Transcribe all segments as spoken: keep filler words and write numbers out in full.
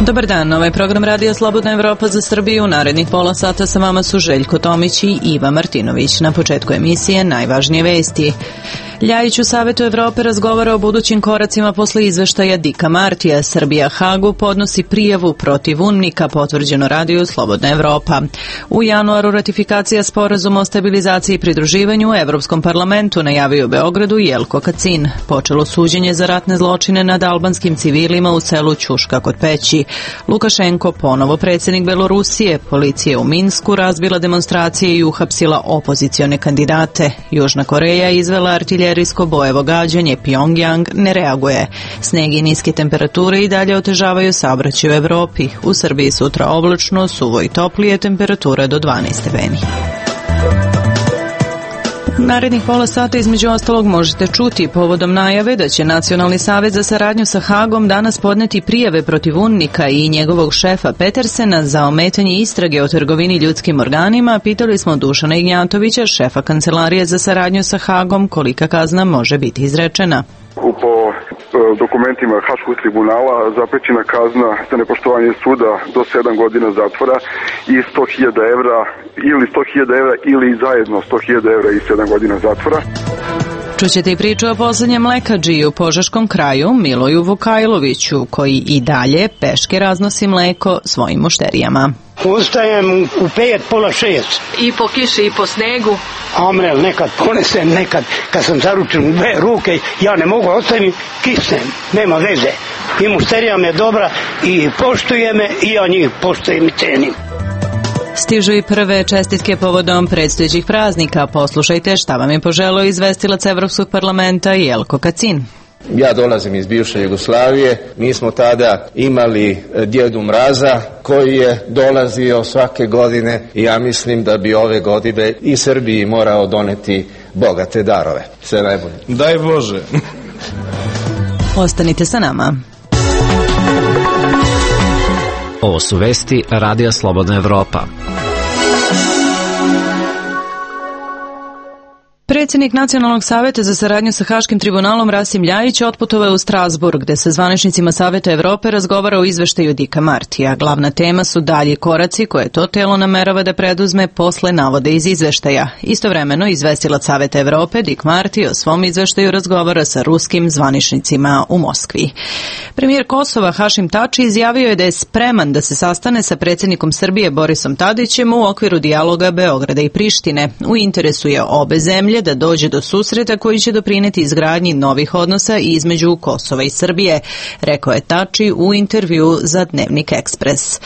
Dobar dan, ovaj program Radija Slobodna Evropa za Srbiju. Narednih pola sata sa vama su Željko Tomić i Iva Martinović. Na početku emisije najvažnije vesti. Ljajić u Savetu Evrope razgovara o budućim koracima posle izveštaja Dika Martija. Srbija Hagu podnosi prijavu protiv UNMIK-a, potvrđeno Radiju Slobodna Evropa. U januaru ratifikacija sporazuma o stabilizaciji i pridruživanju u Evropskom parlamentu, najavio u Beogradu Jelko Kacin. Počelo suđenje za ratne zločine nad albanskim civilima u selu Ćuška kod Peći. Lukašenko, ponovo predsjednik Belorusije, policija u Minsku razbila demonstracije i uhapsila opozicione kandidate. Južna Koreja izvela artiljerijsko bojevo gađanje, Pyongyang ne reaguje. Sneg i niske temperature i dalje otežavaju saobraćaj u Evropi. U Srbiji sutra oblačno, suvo i toplije, temperatura do dvanaest stepeni. Narednih pola sata između ostalog možete čuti povodom najave da će Nacionalni savez za saradnju sa Hagom danas podneti prijave protiv UNMIK-a i njegovog šefa Petersena za ometanje istrage o trgovini ljudskim organima. Pitali smo Dušana Ignjatovića, šefa Kancelarije za saradnju sa Hagom, kolika kazna može biti izrečena. Po dokumentima Haškog tribunala zaprećena kazna za nepoštovanje suda do sedam godina zatvora i sto hiljada evra ili sto hiljada evra ili zajedno sto hiljada evra i sedam godina zatvora. Čućete i priču o poslednjem mlekadžiji u Požeškom kraju, Miloju Vukajloviću, koji i dalje peške raznosi mleko svojim mušterijama. Ustajem u pet, pola šest. I po kiši i po snegu. Amrel, nekad ponesem, nekad kad sam zaručen u dve ruke, ja ne mogu ostaviti, kisnem, nema veze. I mušterija me dobra i poštuje me i ja njih poštujem i cenim. Stižu i prve čestitke povodom predstojećih praznika. Poslušajte šta vam je poželeo izvestilac Evropskog parlamenta Jelko Kacin. Ja dolazim iz bivše Jugoslavije, mi smo tada imali Djedu Mraza koji je dolazio svake godine i ja mislim da bi ove godine i Srbiji morao doneti bogate darove. Sve najbolje. Daj Bože. Ostanite sa nama. Ovo su vesti Radija Slobodna Evropa. Predsjednik Nacionalnog saveta za saradnju sa Haškim tribunalom Rasim Ljajić otputovao je u Strasburg, gde se zvaničnicima Saveta Evrope razgovara o izveštaju Dika Martija. Glavna tema su dalji koraci koje to telo namerava da preduzme posle navode iz izveštaja. Istovremeno, izvestilac Saveta Evrope Dik Marti o svom izveštaju razgovara sa ruskim zvaničnicima u Moskvi. Premijer Kosova Hašim Tači izjavio je da je spreman da se sastane sa predsjednikom Srbije Borisom Tadićem u okviru dijaloga Beograda i Prištine. U interesu je obe zemlje da dođe do susreta koji će doprineti izgradnji novih odnosa između Kosova i Srbije, rekao je Tači u intervju za Dnevnik Ekspres.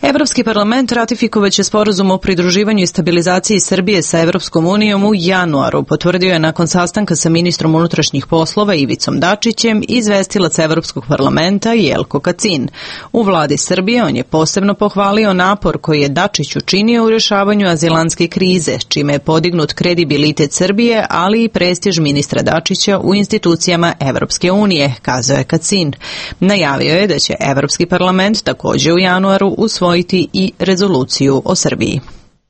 Evropski parlament ratifikovaće sporazum o pridruživanju i stabilizaciji Srbije sa Evropskom unijom u januaru, potvrdio je nakon sastanka sa ministrom unutrašnjih poslova Ivicom Dačićem izvestilac Evropskog parlamenta Jelko Kacin. U vladi Srbije on je posebno pohvalio napor koji je Dačić učinio u rješavanju azilantske krize, čime je podignut kredibilitet Srbije, ali i prestiž ministra Dačića u institucijama Evropske unije, kazao je Kacin. Najavio je da će Evropski parlament također u januaru usvojiti i rezoluciju o Srbiji,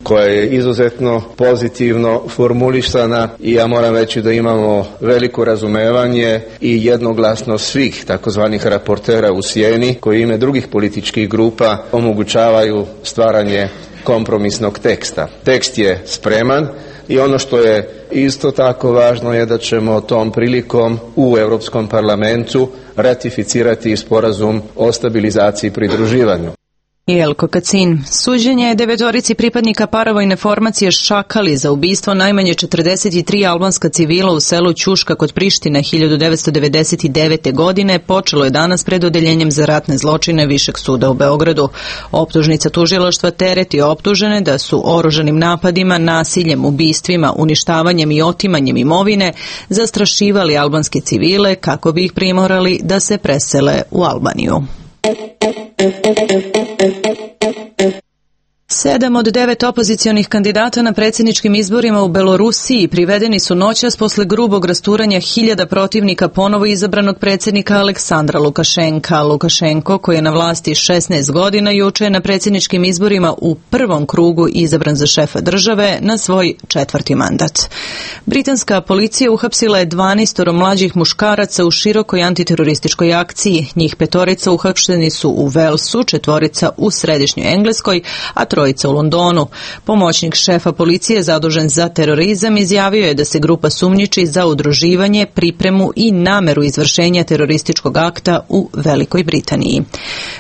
koja je izuzetno pozitivno formulisana i ja moram reći da imamo veliko razumevanje i jednoglasno svih takozvanih raportera u sjeni koji ime drugih političkih grupa omogućavaju stvaranje kompromisnog teksta. Tekst je spreman i ono što je isto tako važno je da ćemo tom prilikom u Europskom parlamentu ratificirati sporazum o stabilizaciji i pridruživanju. Jelko Kacin. Suđenje je devetorici pripadnika paravojne formacije Šakali za ubistvo najmanje četrdeset tri albanska civila u selu Ćuška kod Prištine hiljadu devetsto devedeset devete. godine počelo je danas pred odeljenjem za ratne zločine Višeg suda u Beogradu. Optužnica tužilaštva tereti optužene da su oružanim napadima, nasiljem, ubistvima, uništavanjem i otimanjem imovine zastrašivali albanske civile kako bi ih primorali da se presele u Albaniju. Sedam od devet opozicionih kandidata na predsjedničkim izborima u Belorusiji privedeni su noćas posle grubog rasturanja hiljada protivnika ponovo izabranog predsjednika Aleksandra Lukašenka. Lukašenko, koji je na vlasti šesnaest godina, juče je na predsjedničkim izborima u prvom krugu izabran za šefa države na svoj četvrti mandat. Britanska policija uhapsila je dvanaestoro mlađih muškaraca u širokoj antiterorističkoj akciji. Njih petorica uhapšeni su u Velsu, četvorica u središnjoj Engleskoj, a trojica u Londonu. Pomoćnik šefa policije zadužen za terorizam izjavio je da se grupa sumnjiči za udruživanje, pripremu i nameru izvršenja terorističkog akta u Velikoj Britaniji.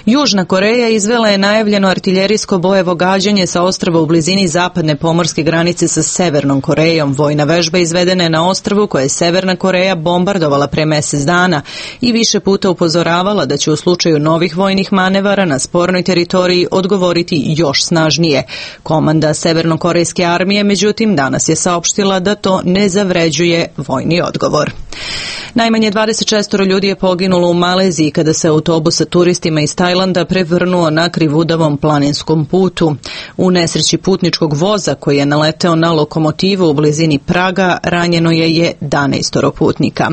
Južna Koreja izvela je najavljeno artiljerijsko bojevo gađanje sa ostrva u blizini zapadne pomorske granice sa Severnom Korejom. Vojna vežba izvedena je na ostrvu koje je Severna Koreja bombardovala pre mjesec dana i više puta upozoravala da će u slučaju novih vojnih manevara na spornoj teritoriji odgovoriti još snažnije. Komanda Severnokorejske armije, međutim, danas je saopštila da to ne zavređuje vojni odgovor. Najmanje dvadeset šest ljudi je poginulo u Maleziji kada se autobus sa turistima iz Tajlanda prevrnuo na krivudavom planinskom putu. U nesreći putničkog voza koji je naleteo na lokomotivu u blizini Praga ranjeno je jedanaest putnika.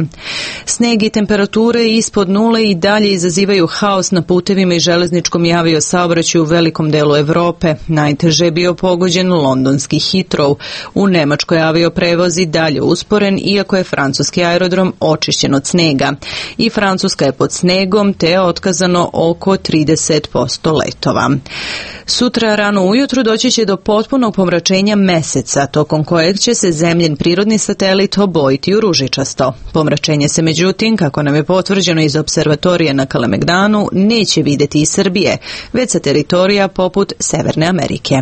Sneg i temperature ispod nule i dalje izazivaju haos na putevima i železničkom i aviosaobraćaju u velikom delu Europe. Najteže je bio pogođen londonski Heathrow. U Nemačkoj avioprevoz i dalje usporen, iako je francuski aerodrom očišćen od snega. I Francuska je pod snegom, te je otkazano oko trideset posto letova. Sutra rano ujutru doći će do potpunog pomračenja meseca, tokom kojeg će se zemljin prirodni satelit obojiti u ružičasto. Pomračenje se međutim, kako nam je potvrđeno iz observatorije na Kalemegdanu, neće vidjeti iz Srbije, već sa teritorija poput Severne Amerike.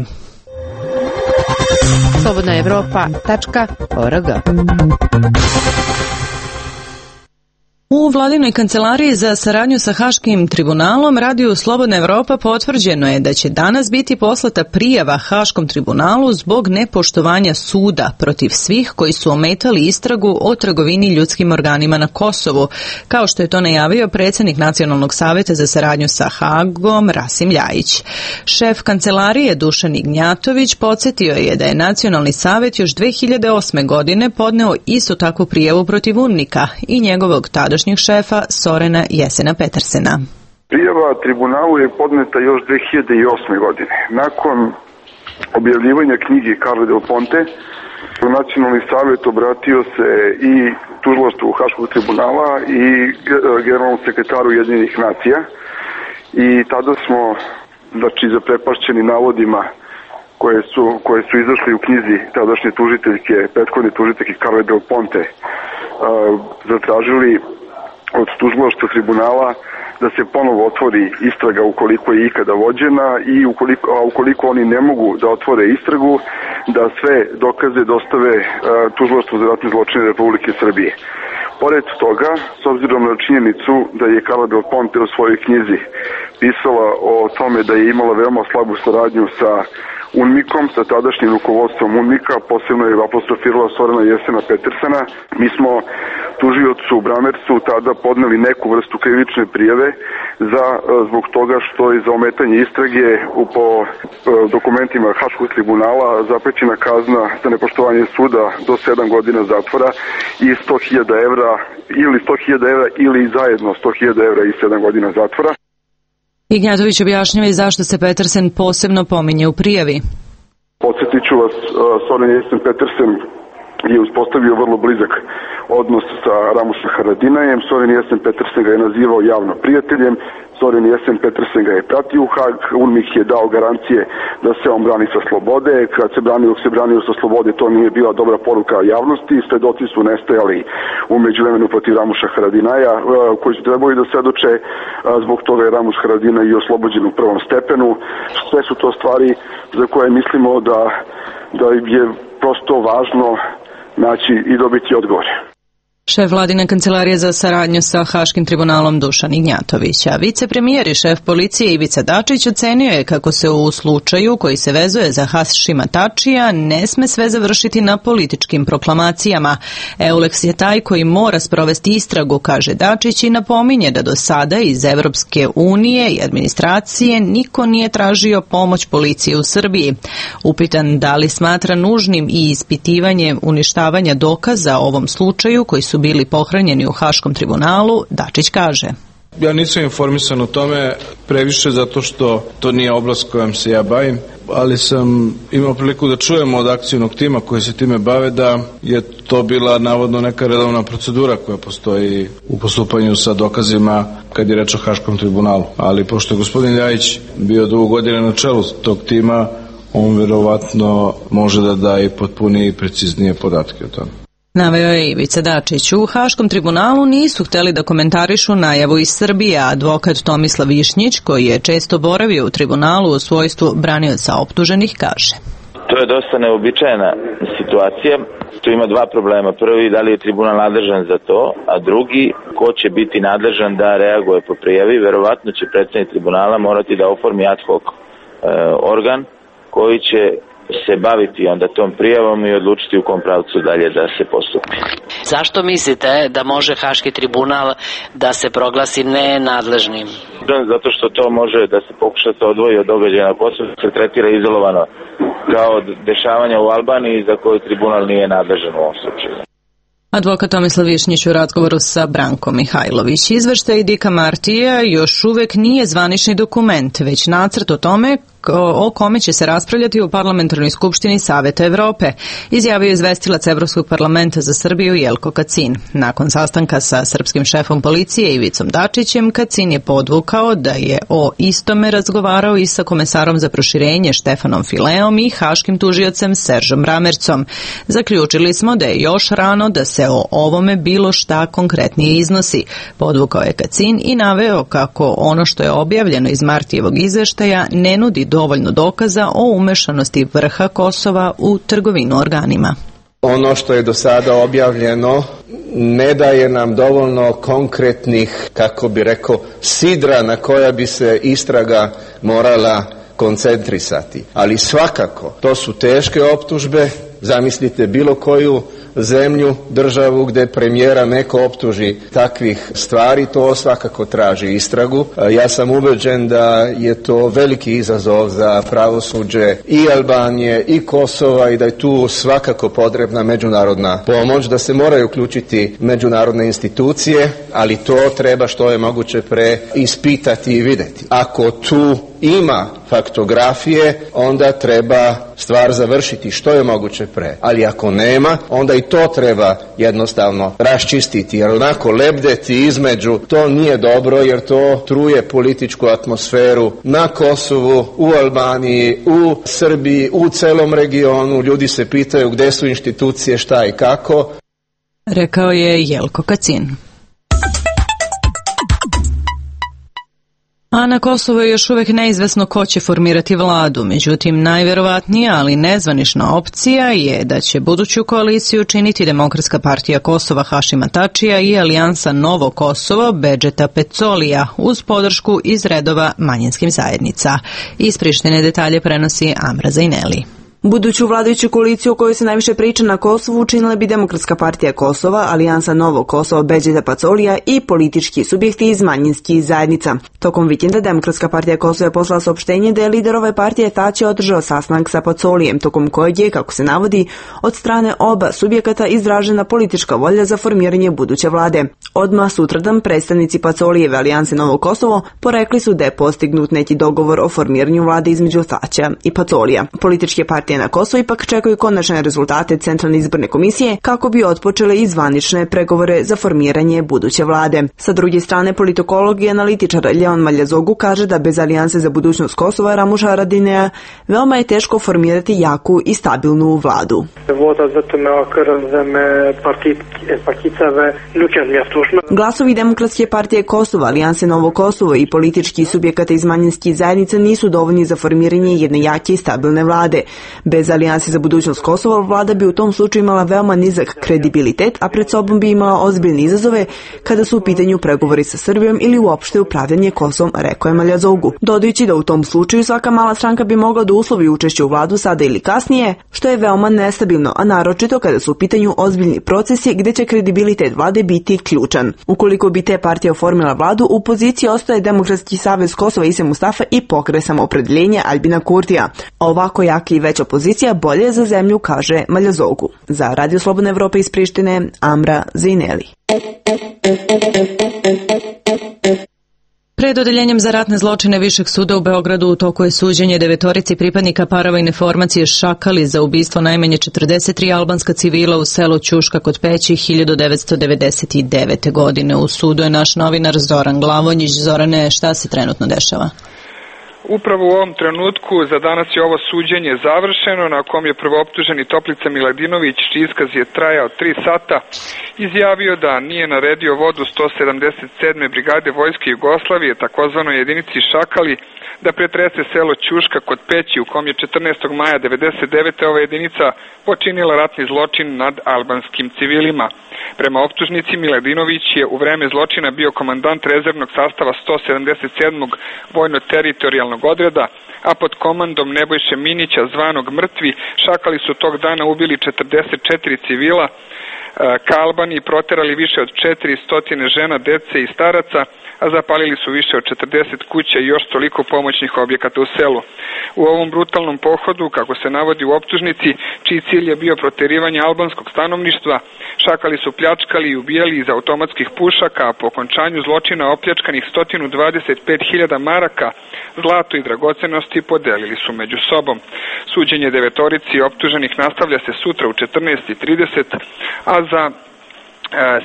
slobodna evropa tačka org. U vladinoj kancelariji za saradnju sa Haškim tribunalom radiju Slobodna Evropa potvrđeno je da će danas biti poslata prijava Haškom tribunalu zbog nepoštovanja suda protiv svih koji su ometali istragu o trgovini ljudskim organima na Kosovu, kao što je to najavio predsjednik Nacionalnog saveta za saradnju sa Hagom Rasim Ljajić. Šef kancelarije Dušan Ignjatović podsjetio je da je Nacionalni savet još dve hiljade osme. godine podneo istu takvu prijavu protiv UNMIK-a i njegovog tada šefa Sorena Jesena Petersena. Prijava tribunalu je podneta još dve hiljade osme. godine. Nakon objavljivanja knjige Carle Del Ponte, Nacionalni savjet obratio se i tužilaštvu Haškog tribunala i generalnom sekretaru Ujedinjenih nacija i tada smo, znači, zaprepašćeni navodima koje su, koje su izašli u knjizi tadašnje tužiteljke, prethodne tužiteljke Carle Del Ponte, zatražili od tužilaštva tribunala da se ponovo otvori istraga ukoliko je ikada vođena i ukoliko, a ukoliko oni ne mogu da otvore istragu, da sve dokaze dostave tužilaštvu za ratne zločine Republike Srbije. Pored toga, s obzirom na činjenicu da je Carla Del Ponte u svojoj knjizi pisala o tome da je imala veoma slabu saradnju sa UNMIK-om, sa tadašnjim rukovodstvom UNMIK-a, posebno je apostrofirala Sorena Jesena Petersena. Mi smo tužiocu Bramercu tada podneli neku vrstu krivične prijave za, zbog toga što je za ometanje istrage u po dokumentima Haškog tribunala zaprećena kazna za nepoštovanje suda do sedam godina zatvora i sto hiljada evra ili sto hiljada evra ili zajedno sto hiljada evra i sedam godina zatvora. Ignjatović objašnjava i zašto se Petersen posebno pominje u prijavi. Podsjetit ću vas, Soren Jesen Petersen je uspostavio vrlo blizak odnos sa Ramusom Haradinajem. Soren Jesen Petersen ga je nazivao javno prijateljem. Soren Jesen Petersen ga je pratio u Hag. UNMIK je dao garancije da se on brani sa slobode. Kad se branio, dok se branio sa slobode, to nije bila dobra poruka javnosti. Svedoci su nestajali u međuvremenu protiv Ramuša Haradinaja, koji su trebali da svedoče. Zbog toga je Ramuš Haradinaj i oslobođen u prvom stepenu. Sve su to stvari za koje mislimo da, da je prosto važno naći i dobiti odgovore. Šef vladine kancelarije za saradnju sa Haškim tribunalom Dušan Ignjatović, a vicepremijer i šef policije Ivica Dačić ocenio je kako se u slučaju koji se vezuje za Hašima Tačija ne sme sve završiti na političkim proklamacijama. Euleks je taj koji mora sprovesti istragu, kaže Dačić, i napominje da do sada iz Evropske unije i administracije niko nije tražio pomoć policije u Srbiji. Upitan da li smatra nužnim i ispitivanje uništavanja dokaza o ovom slučaju koji su bili pohranjeni u Haškom tribunalu, Dačić kaže: Ja nisam informisan o tome previše zato što to nije oblast kojom se ja bavim, ali sam imao priliku da čujem od akcijnog tima koji se time bave da je to bila navodno neka redovna procedura koja postoji u postupanju sa dokazima kad je reč o Haškom tribunalu. Ali pošto je gospodin Ljajić bio dugo godina na čelu tog tima, on verovatno može da da i potpunije i preciznije podatke o tome. Naveo je Ivica Dačić. U Haškom tribunalu nisu hteli da komentarišu najavu iz Srbije. Advokat Tomislav Višnjić, koji je često boravio u tribunalu u svojstvu branioca optuženih, kaže: To je dosta neobičajena situacija. Tu ima dva problema. Prvi, da li je tribunal nadležan za to, a drugi, ko će biti nadležan da reaguje po prijavi. Verovatno će predsednik tribunala morati da oformi ad hoc e, organ koji će se baviti onda tom prijavom i odlučiti u kom pravcu dalje da se postupi. Zašto mislite da može Haški tribunal da se proglasi nenadležnim? Zato što to može da se pokuša to odvoji od događaja na Kosovu, se tretira izolovano kao dešavanja u Albaniji za koju tribunal nije nadležan u ovom slučaju. Advokat Tomislav Višnjić u razgovoru sa Brankom Mihajlović. Izveštaj Dika Martija još uvek nije zvanični dokument, već nacrt o tome o kome će se raspravljati u Parlamentarnoj skupštini Saveta Evrope, izjavio izvestilac Evropskog parlamenta za Srbiju Jelko Kacin. Nakon sastanka sa srpskim šefom policije Ivicom Dačićem, Kacin je podvukao da je o istome razgovarao i sa komesarom za proširenje Štefanom Fileom i haškim tužiocem Seržom Ramercom. Zaključili smo da je još rano da se o ovome bilo šta konkretnije iznosi, podvukao je Kacin i naveo kako ono što je objavljeno iz Martijevog izveštaja ne nudi dovoljno dokaza o umešanosti vrha Kosova u trgovinu organima. Ono što je do sada objavljeno ne daje nam dovoljno konkretnih, kako bi rekao, sidra na koja bi se istraga morala koncentrisati. Ali svakako, to su teške optužbe. Zamislite bilo koju zemlju, državu gde premijera neko optuži takvih stvari, to svakako traži istragu. Ja sam ubeđen da je to veliki izazov za pravosuđe i Albanije i Kosova i da je tu svakako potrebna međunarodna pomoć, da se moraju uključiti međunarodne institucije, ali to treba što je moguće pre ispitati i videti. Ako tu ima faktografije, onda treba stvar završiti što je moguće pre. Ali ako nema, onda i to treba jednostavno raščistiti, jer onako lebdeti između, to nije dobro, jer to truje političku atmosferu na Kosovu, u Albaniji, u Srbiji, u celom regionu. Ljudi se pitaju gde su institucije, šta i kako. Rekao je Jelko Kacin. A na Kosovu je još uvek neizvesno ko će formirati vladu. Međutim, najverovatnija, ali nezvanična opcija je da će buduću koaliciju činiti Demokratska partija Kosova Hašima Tačija i Alijansa Novo Kosovo Bedžeta Pecolija uz podršku iz redova manjinskih zajednica. Iz Prištine detalje prenosi Amra Zajneli. Buduću vladajuću koaliciju o kojoj se najviše priča na Kosovu učinila bi Demokratska partija Kosova, Alijansa Novo Kosovo Bedžeta Pecolija i politički subjekti iz manjinskih zajednica. Tokom vikenda Demokratska partija Kosova je poslala saopštenje da je lider ove partije Tači održao sastanak sa Pecolijem, tokom kojeg je, kako se navodi, od strane oba subjekata izražena politička volja za formiranje buduće vlade. Odmah sutradan predstavnici Pecolijeve Alijanse Novo Kosovo porekli su da je postignut neki dogovor o formiranju vlade između Tačija i Pecolija. Političke partije na Kosovu ipak čekaju konačne rezultate Centralne izborne komisije kako bi otpočele i zvanične pregovore za formiranje buduće vlade. Sa druge strane, politikolog i analitičar Leon Maljazogu kaže da bez Alijanse za budućnost Kosova Ramuša Haradinaja veoma je teško formirati jaku i stabilnu vladu. Glasovi Demokratske partije Kosova, Alijanse Novo Kosovo i politički subjekata iz manjinskih zajednica nisu dovoljni za formiranje jedne jake i stabilne vlade. Bez Alijanse za budućnost Kosova vlada bi u tom slučaju imala veoma nizak kredibilitet, a pred sobom bi imala ozbiljne izazove kada su u pitanju pregovori sa Srbijom ili uopšte upravljanje Kosovom, rekao je Maljazogu. Dodajući da u tom slučaju svaka mala stranka bi mogla da uslovi učešće u vladu sada ili kasnije, što je veoma nestabilno, a naročito kada su u pitanju ozbiljni procesi gde će kredibilitet vlade biti ključan. Ukoliko bi te partije oformila vladu, u poziciji ostaje Demokratski savez Kosova Ise Mustafa i Pokret samoopredeljenja Aljbina Kurtija. Ovako jaka i veća pozicija bolje je za zemlju, kaže Maljazogu. Za Radio Slobodna Evropa iz Prištine, Amra Zejneli. Pred odeljenjem za ratne zločine Višeg suda u Beogradu u toku je suđenje devetorici pripadnika paravojne formacije Šakali za ubistvo najmanje četrdeset tri albanska civila u selu Ćuška kod Peći hiljadu devetsto devedeset devete. godine. U sudu je naš novinar Zoran Glavonjić. Zorane, šta se trenutno dešava? Upravo u ovom trenutku za danas je ovo suđenje završeno, na kom je prvooptuženi Toplica Miladinović, čiji iskaz je trajao tri sata, izjavio da nije naredio vodu sto sedamdeset sedme brigade Vojske Jugoslavije, takozvanoj jedinici Šakali, da pretrese selo Ćuška kod Peći, u kom je četrnaestog maja devedeset devete. ova jedinica počinila ratni zločin nad albanskim civilima. Prema optužnici, Miladinović je u vreme zločina bio komandant rezervnog sastava sto sedamdeset sedmog vojno-teritorijalnog odreda, a pod komandom Nebojše Minića, zvanog Mrtvi, Šakali su tog dana ubili četrdeset četiri civila, ka Albaniji proterali više od četiristo žena, dece i staraca, a zapalili su više od četrdeset kuća i još toliko pomoćnih objekata u selu. U ovom brutalnom pohodu, kako se navodi u optužnici, čiji cilj je bio proterivanje albanskog stanovništva, Šakali su pljačkali i ubijali iz automatskih pušaka, a po okončanju zločina opljačkanih sto dvadeset pet hiljada maraka, zlato i dragocenosti podelili su među sobom. Suđenje devetorici optuženih nastavlja se sutra u četrnaest i trideset, a za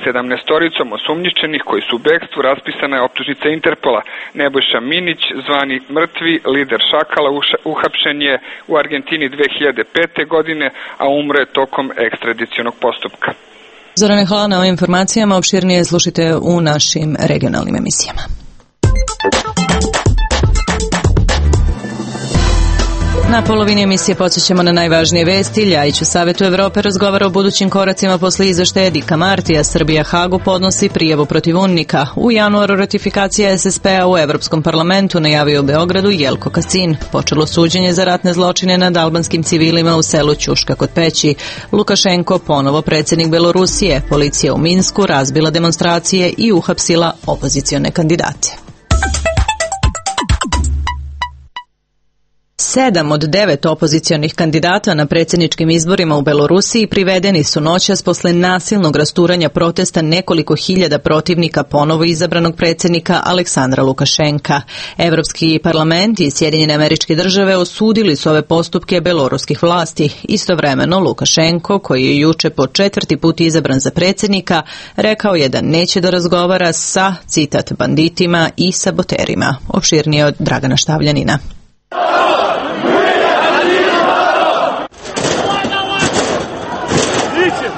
sedamnaestoricom osumnjičenih koji su u bekstvu raspisana je optužnica Interpola. Nebojša Minić, zvani Mrtvi, lider Šakala, uhapšen je u Argentini dve hiljade pete. godine, a umre tokom ekstradicionog postupka. Zorane, hvala na ovim informacijama. Opširnije slušajte u našim regionalnim emisijama. Na polovini emisije podsjećamo na najvažnije vesti. Ljajić u Savetu Evrope razgovara o budućim koracima posle izveštaja Dika Martija. Srbija Hagu podnosi prijavu protiv UNMIK-a. U januaru ratifikacija es es pe-a u Evropskom parlamentu, najavio u Beogradu Jelko Kacin. Počelo suđenje za ratne zločine nad albanskim civilima u selu Ćuška kod Peći. Lukašenko ponovo predsjednik Belorusije. Policija u Minsku razbila demonstracije i uhapsila opozicione kandidate. Sedam od devet opozicionih kandidata na predsjedničkim izborima u Belorusiji privedeni su noćas posle nasilnog rasturanja protesta nekoliko hiljada protivnika ponovo izabranog predsjednika Aleksandra Lukašenka. Evropski parlament i Sjedinjene Američke Države osudili su ove postupke beloruskih vlasti. Istovremeno Lukašenko, koji je juče po četvrti put izabran za predsjednika, rekao je da neće da razgovara sa, citat, banditima i saboterima. Opširnije od Dragana Štavljanina.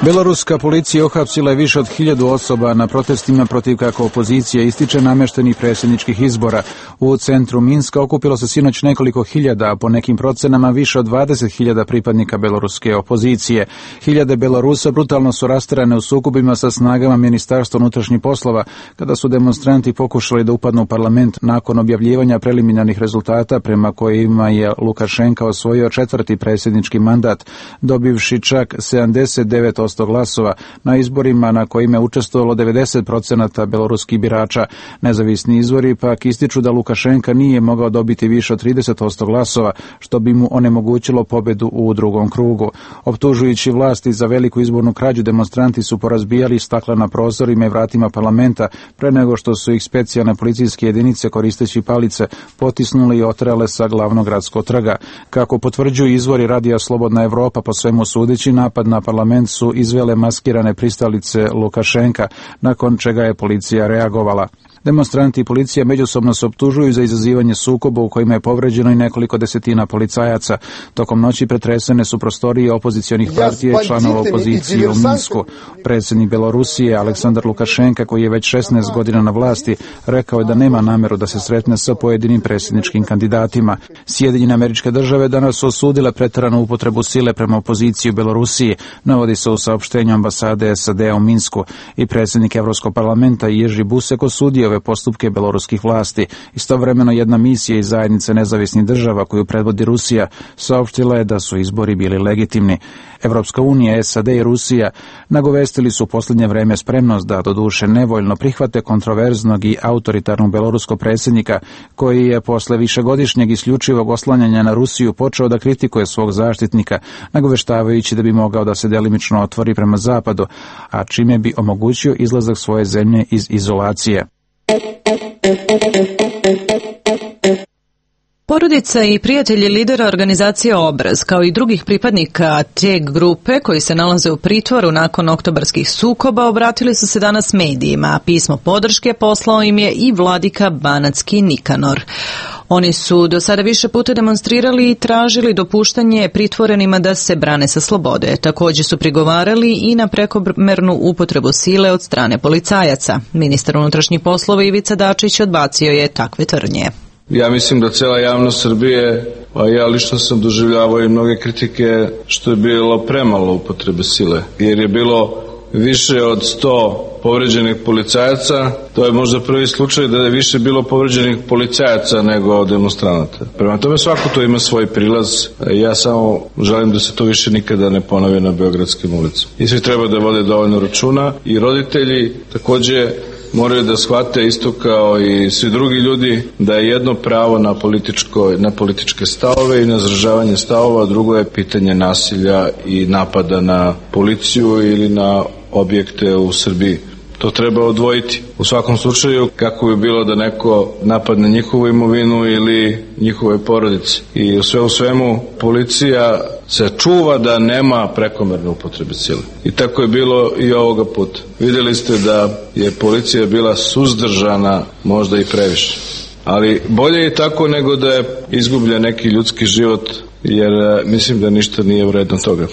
Beloruska policija uhapsila je više od hiljadu osoba na protestima protiv, kako opozicija ističe, namještenih predsjedničkih izbora. U centru Minska okupilo se sinoć nekoliko hiljada, a po nekim procenama više od dvadeset hiljada pripadnika beloruske opozicije. Hiljade Belorusa brutalno su rasterane u sukobima sa snagama Ministarstva unutrašnjih poslova, kada su demonstranti pokušali da upadnu u parlament nakon objavljivanja preliminarnih rezultata prema kojima je Lukašenka osvojio četvrti predsjednički mandat, dobivši čak sedamdeset devet posto glasova na izborima na kojima je učestvovalo devedeset procenata beloruskih birača. Nezavisni izvori pak ističu da Lukašenka nije mogao dobiti više od trideset posto glasova, što bi mu onemogućilo pobedu u drugom krugu. Optužujući vlasti za veliku izbornu krađu, demonstranti su porazbijali stakla na prozorima i vratima parlamenta pre nego što su ih specijalne policijske jedinice koristeći palice potisnuli i oterale sa glavnog gradskog trga. Kako potvrđuju izvori Radija Slobodna Evropa, po svemu sudeći, napad na parlament su izvele maskirane pristalice Lukašenka, nakon čega je policija reagovala. Demonstranti i policija međusobno se optužuju za izazivanje sukoba u kojima je povređeno i nekoliko desetina policajaca. Tokom noći pretresene su prostorije opozicionih partija i članova opozicije u Minsku. Predsjednik Belorusije Aleksandar Lukašenka, koji je već šesnaest godina na vlasti, rekao je da nema nameru da se sretne sa pojedinim predsjedničkim kandidatima. Sjedinjene Američke Države danas su osudile preteranu upotrebu sile prema opoziciji u Belorusiji, navodi se u saopštenju ambasade S A D-a u Minsku, i predsjednik Evropskog parlamenta Jerzy Buzek osudio ove postupke beloruskih vlasti. Istovremeno jedna misija iz zajednice nezavisnih država koju predvodi Rusija saopštila je da su izbori bili legitimni. Evropska unija, S A D i Rusija nagovestili su u posljednje vreme spremnost da doduše nevoljno prihvate kontroverznog i autoritarnog beloruskog predsjednika, koji je posle višegodišnjeg isključivog oslanjanja na Rusiju počeo da kritikuje svog zaštitnika, nagoveštavajući da bi mogao da se delimično otvori prema zapadu, a čime bi omogućio izlazak svoje zemlje iz izolacije. Porodica i prijatelji lidera organizacije Obraz, kao i drugih pripadnika te grupe koji se nalaze u pritvoru nakon oktobarskih sukoba, obratili su se danas medijima, a pismo podrške poslao im je i vladika banatski Nikanor. Oni su do sada više puta demonstrirali i tražili dopuštanje pritvorenima da se brane sa slobode. Također su prigovarali i na prekomernu upotrebu sile od strane policajaca. Ministar unutrašnjih poslova Ivica Dačić odbacio je takve tvrdnje. Ja mislim da cela javnost Srbije, a ja lično sam doživljavao i mnoge kritike što je bilo premalo upotrebe sile, jer je bilo više od sto povređenih policajaca. To je možda prvi slučaj da je više bilo povređenih policajaca nego demonstranata. Prema tome svako to ima svoj prilaz. Ja samo želim da se to više nikada ne ponovi na beogradskim ulicama. I svi treba da vode dovoljno računa, i roditelji takođe moraju da shvate isto kao i svi drugi ljudi da je jedno pravo na političko, na političke stavove i na izražavanje stavova, drugo je pitanje nasilja i napada na policiju ili na objekte u Srbiji. To treba odvojiti. U svakom slučaju, kako bi bilo da neko napadne njihovu imovinu ili njihove porodice. I u sve u svemu, policija se čuva da nema prekomerne upotrebe sile. I tako je bilo i ovoga puta. Vidjeli ste da je policija bila suzdržana, možda i previše. Ali bolje je tako nego da je izgubljen neki ljudski život, jer mislim da ništa nije vredno toga.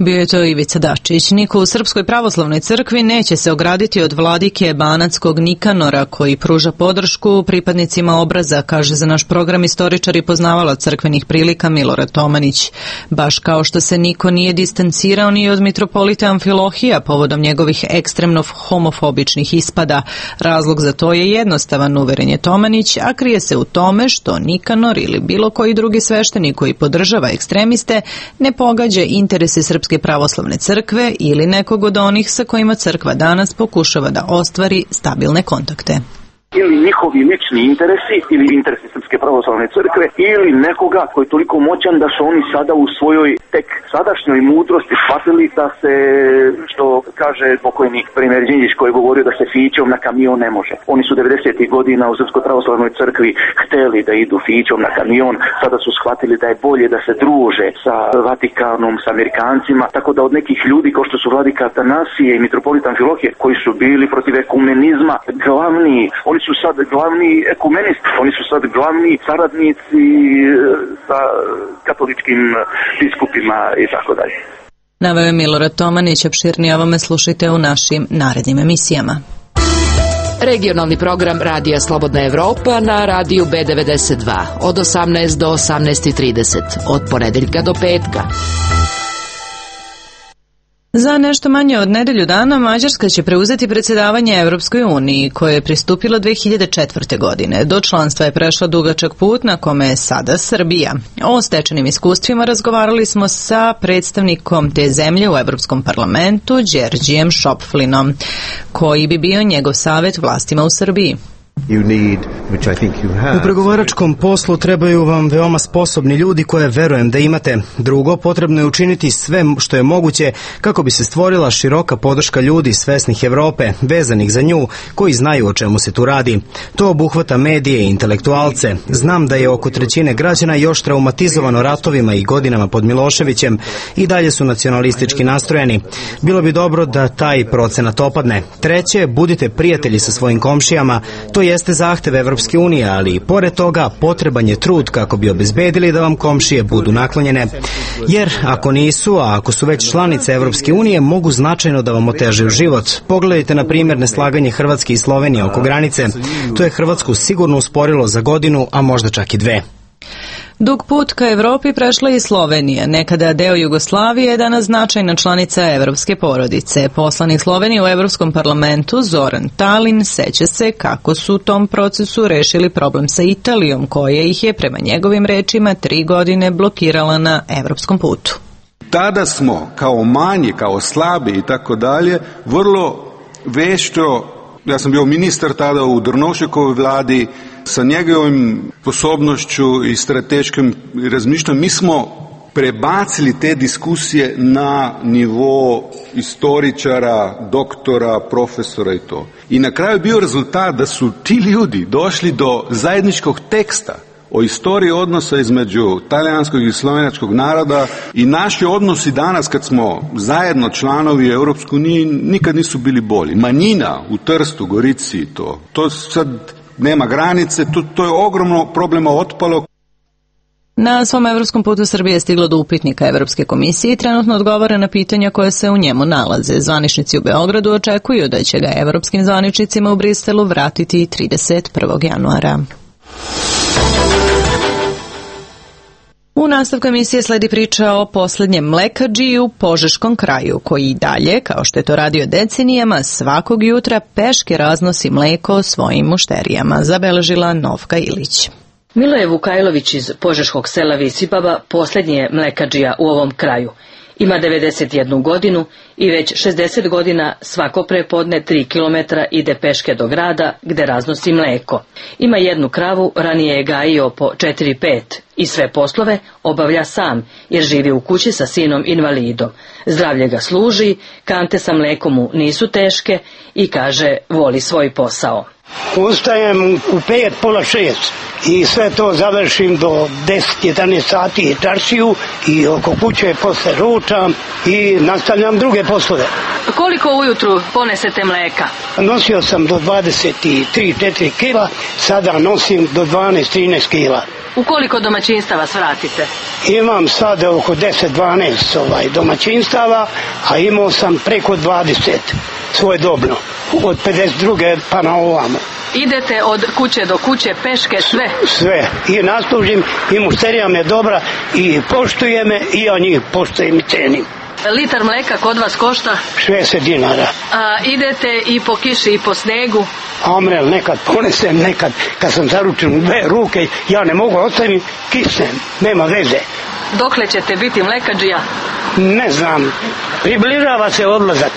Bio je to Ivica Dačić. Niko u Srpskoj pravoslavnoj crkvi neće se ograditi od vladike banatskog Nikanora, koji pruža podršku pripadnicima Obraza, kaže za naš program istoričar i poznavalac crkvenih prilika Milorad Tomanić. Baš kao što se niko nije distancirao ni od mitropolita Amfilohija povodom njegovih ekstremno homofobičnih ispada. Razlog za to je jednostavan, uveren je Tomanić, a krije se u tome što Nikanor ili bilo koji drugi sveštenik koji podržava ekstremiste ne pogađa interese Srpske pravoslavne crkve ili nekog od onih sa kojima crkva danas pokušava da ostvari stabilne kontakte. Ili njihovi lični interesi ili interesi Srpske pravoslavne crkve ili nekoga koji je toliko moćan da su oni sada u svojoj tek sadašnjoj mudrosti shvatili da se, što kaže pokojnik premijer Đinđić koji je govorio da se fićom na kamion ne može. Oni su devedesetih godina u Srpskoj pravoslavnoj crkvi hteli da idu fićom na kamion, sada su shvatili da je bolje da se druže sa Vatikanom, sa Amerikancima, tako da od nekih ljudi kao što su vladika Atanasije i mitropolit Amfilohije koji su bili protiv ekumenizma, glavni, oni su sad glavni ekumenisti, oni su sad glavni saradnici sa katoličkim biskupima i tako dalje. Naveo je Milorad Tomanić, opširnije ovome slušajte u našim narednim emisijama. Regionalni program Radija Slobodna Evropa na radiju B devedeset dva od osamnaest do osamnaest trideset, od ponedeljka do petka. Za nešto manje od nedelju dana Mađarska će preuzeti predsjedavanje Evropskoj uniji, koje je pristupila dve hiljade četvrte. godine. Do članstva je prešla dugačak put na kome je sada Srbija. O stečenim iskustvima razgovarali smo sa predstavnikom te zemlje u Evropskom parlamentu, Đerđijem Šopflinom, koji bi bio njegov savjet vlastima u Srbiji. U pregovaračkom poslu trebaju vam veoma sposobni ljudi koje verujem da imate. Drugo, potrebno je učiniti sve što je moguće kako bi se stvorila široka podrška ljudi svesnih Evrope, vezanih za nju, koji znaju o čemu se tu radi. To obuhvata medije i intelektualce. Znam da je oko trećine građana još traumatizovano ratovima i godinama pod Miloševićem i dalje su nacionalistički nastrojeni. Bilo bi dobro da taj procenat opadne. Treće, budite prijatelji sa svojim komšijama. To jeste zahtev Evropske unije, ali i pored toga potreban je trud kako bi obezbedili da vam komšije budu naklonjene. Jer ako nisu, a ako su već članice Evropske unije, mogu značajno da vam otežaju život. Pogledajte na primjer neslaganje Hrvatske i Slovenije oko granice. To je Hrvatsku sigurno usporilo za godinu, a možda čak i dve. Dug put ka Evropi prešla i Slovenija, nekada deo Jugoslavije, danas značajna članica evropske porodice. Poslanik Slovenije u Evropskom parlamentu Zoran Talin seća se kako su u tom procesu rešili problem sa Italijom, koja ih je, prema njegovim rečima, tri godine blokirala na evropskom putu. Tada smo, kao manji, kao slabi i tako dalje, vrlo vešto, ja sam bio ministar tada u Drnovšekovoj vladi, sa njegovim sposobnošću i strateškim razmišljanjem, mi smo prebacili te diskusije na nivo istoričara, doktora, profesora i to. I na kraju je bio rezultat da su ti ljudi došli do zajedničkog teksta o istoriji odnosa između talijanskog i slovenačkog naroda i naši odnosi danas kad smo zajedno članovi Europske unije nikad nisu bili bolji. Manjina u Trstu, Gorici i to. To sad nema granice, to, to je ogromno problema otpalo. Na svom evropskom putu Srbije je stiglo do upitnika Evropske komisije i trenutno odgovara na pitanja koje se u njemu nalaze. Zvaničnici u Beogradu očekuju da će ga evropskim zvaničnicima u Briselu vratiti trideset prvog januara. U nastavku emisije sledi priča o poslednjem mlekadžiji u Požeškom kraju, koji i dalje, kao što je to radio decenijama, svakog jutra peške raznosi mleko svojim mušterijama, zabeležila Novka Ilić. Miloje Vukajlović iz Požeškog sela Visibaba poslednji je mlekadžija u ovom kraju. Ima devedeset jednu godinu i već šezdeset godina svako prepodne tri kilometra ide peške do grada gde raznosi mleko. Ima jednu kravu, ranije je gajio po četiri pet i sve poslove obavlja sam jer živi u kući sa sinom invalidom. Zdravlje ga služi, kante sa mlekom mu nisu teške i kaže voli svoj posao. Ustajem u pet, pola šest i sve to završim do deset jedanaest sati i čaršiju i oko kuće posle ručam i nastavljam druge poslove. Koliko ujutru ponesete mleka? Nosio sam do dvadeset tri četiri kila, sada nosim do dvanaest trinaest kila. U koliko domaćinstava svratite? Imam sada oko deset dvanaest ovaj, domaćinstava, a imao sam preko dvadeset svojedobno, od pedeset druge pa na ovamo. Idete od kuće do kuće peške sve? Sve. I naslužim, i mušterija me dobra, i poštuje me, i ja njih poštujem i cenim. Litar mleka kod vas košta? šezdeset dinara. A idete i po kiši i po snegu? Amrel, nekad ponesem, nekad kad sam zaručen u dve ruke, ja ne mogu ostaviti, kisnem, nema veze. Dokle ćete biti mlekadžija? Ne znam, približava se odlazak.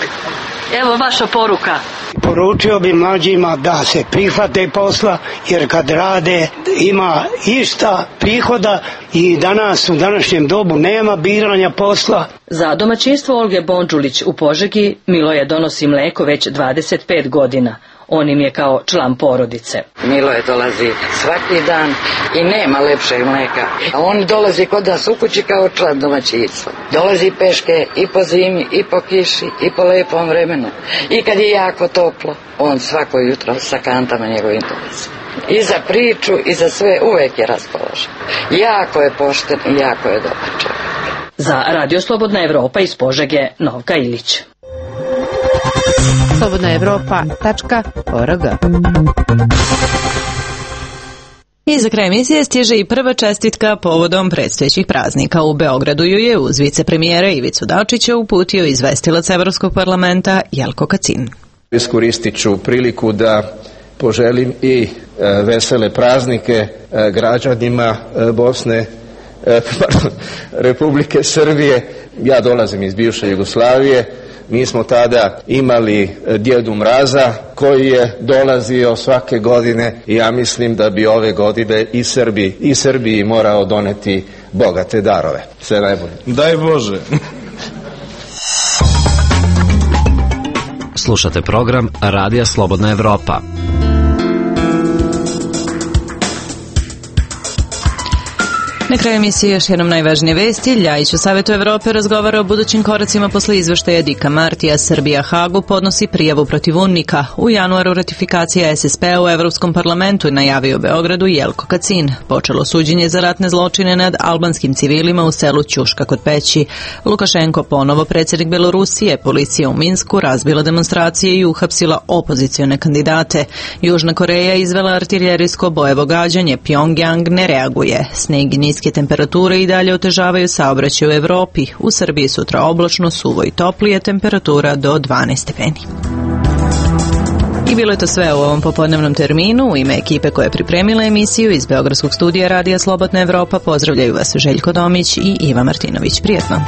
Evo vaša poruka. Poručio bi mlađima da se prihvate posla, jer kad rade ima išta prihoda i danas u današnjem dobu nema biranja posla. Za domaćinstvo Olge Bondžulić u Požegi Miloje donosi mleko već dvadeset pet godina. On im je kao član porodice. Miloje dolazi svaki dan i nema lepšeg mleka. A on dolazi kod nas u kući kao član domaćinstva. Dolazi peške i po zimi, i po kiši, i po lepom vremenu. I kad je jako toplo, on svako jutro sa kantama njegovim dolazi. I za priču, i za sve uvek je raspoložen. Jako je pošten i jako je dobar čovjek. Za Radio Slobodna Evropa iz Požege, Novka Ilić. slobodna evropa tačka org. I za kraj emisije stiže i prva čestitka povodom predstojećih praznika. U Beogradu ju je uz vicepremijera Ivicu Dačića uputio izvestilac Evropskog parlamenta Jelko Kacin. Iskoristit ću priliku da poželim i e, vesele praznike e, građanima e, Bosne, e, pardon, Republike Srbije. Ja dolazim iz bivše Jugoslavije, Mi smo tada imali Djedu Mraza koji je dolazio svake godine i ja mislim da bi ove godine i Srbiji, i Srbiji morao doneti bogate darove. Sve najbolje. Daj Bože. Slušate program Radija Slobodna Evropa. Na kraju emisije još jednom najvažnije vesti. Ljajić u Savetu Evrope razgovara o budućim koracima posle izveštaja Dika Martija. Srbija Hagu podnosi prijavu protiv UNMIK-a. U januaru ratifikacija S S P-a u Evropskom parlamentu najavio Beogradu Jelko Kacin. Počelo suđenje za ratne zločine nad albanskim civilima u selu Ćuška kod Peći. Lukašenko ponovo predsjednik Belorusije. Policija u Minsku razbila demonstracije i uhapsila opozicione kandidate. Južna Koreja izvela artiljerijsko bojevo gađanje. Pjongjang ne reaguje. Sneg i niske temperature i dalje otežavaju saobraćaj u Evropi. U Srbiji sutra oblačno, suvo i toplije, temperatura do dvanaest stepeni. I bilo je to sve u ovom popodnevnom terminu. U ime ekipe koja je pripremila emisiju iz Beogradskog studija Radija Slobodna Evropa pozdravljaju vas Željko Domić i Iva Martinović. Prijetno.